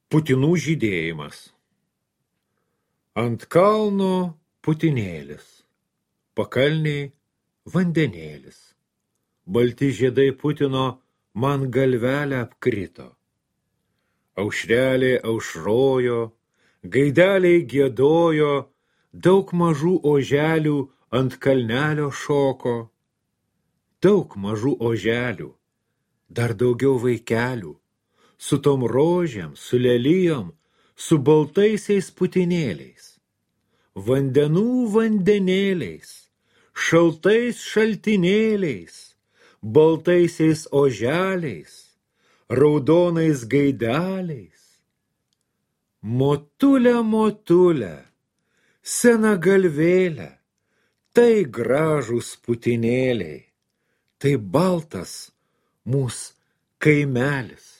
Putinų žydėjimas. Ant kalno putinėlis, pakalniai vandenėlis. Balti žiedai Putino man galvelę apkrito. Aušrelė aušrojo, gaideliai giedojo, daug mažų oželių ant kalnelio šoko. Daug mažų oželių, dar daugiau vaikelių, su tom rožėm, su lelijom, su baltaisiais putinėliais, vandenų vandenėliais, šaltais šaltinėliais, baltaisiais oželiais, raudonais gaideliais. Motulė, motulė, sena galvėlė, tai gražūs putinėliai, tai baltas mūsų kaimelis.